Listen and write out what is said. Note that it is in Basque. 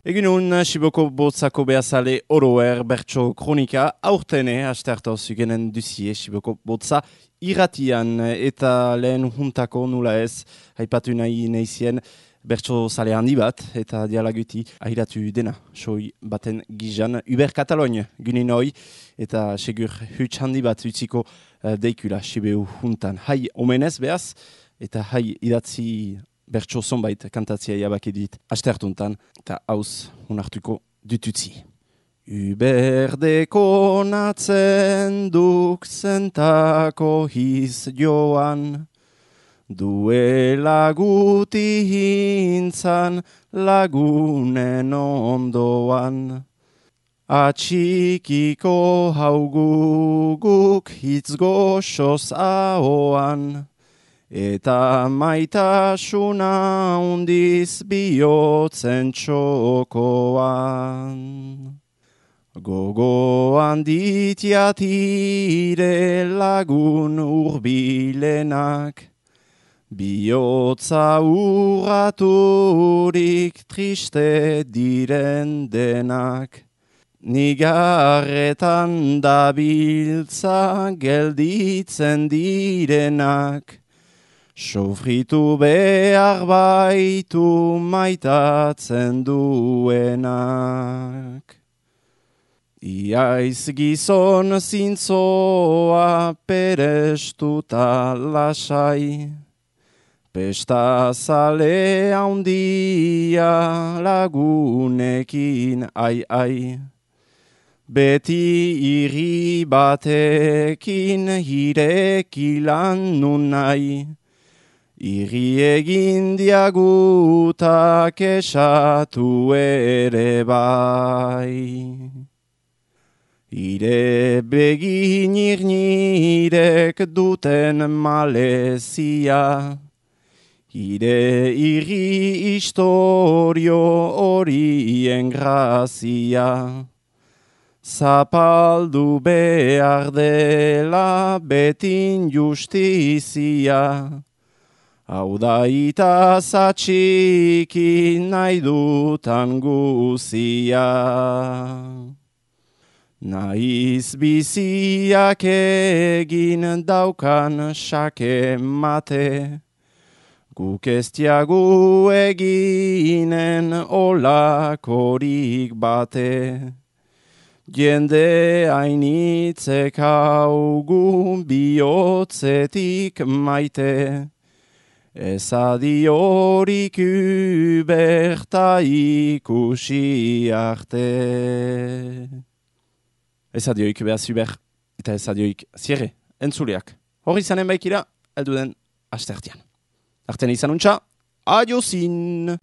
Egunon, Siboko Botzako behazale oroer bertso kronika, aurtene, asteartau zugenen duzie, Siboko Botza irratian, eta lehen juntako nula ez, haipatu nahi nahizien, bertso zale handi bat, eta dialaguti ahiratu dena, soi baten gizan, Uber Kataloin, gunin hoi, eta segur huts handi bat utziko deikula Sibeu juntan. Hai omenez behaz, eta hai idatzi bertso zonbait kantatzia jabaki dit astertuntan, eta hauz unartuko dututzi. Uberdeko natzen duk zentako hiz joan, duela guti hintzan lagunen ondoan. Atxikiko hauguguk hitz goxoz ahoan, eta maitasuna undiz bihotzen txokoan. Gogoan ditiatire lagun urbilenak, bihotza urraturik triste diren denak. Nigarretan dabiltza gelditzen direnak, sofritu behar baitu maitatzen duenak. Iaiz gizon zintzoa perestuta lasai, pesta zale haundia lagunekin ai. Beti irri batekin hirekilan nun nahi, irri egin diagutak esatu ere bai. Ire begin irnirek duten malezia, ire irri historio horien grazia. Zapaldu behar dela betin justizia, hau da itaz atxiki nahi dutan guzia. Naiz biziak egin daukan xake mate, guk ez diagu eginen olakorik bate. Jende hainitzek haugu bihotzetik maite, ez adiorik uberta ikusi arte. Ez adioik behaz uber, eta ez adioik zierre, entzuleak. Hor izanen baikira, elduden astertian. Arten izan untxa, adiozin!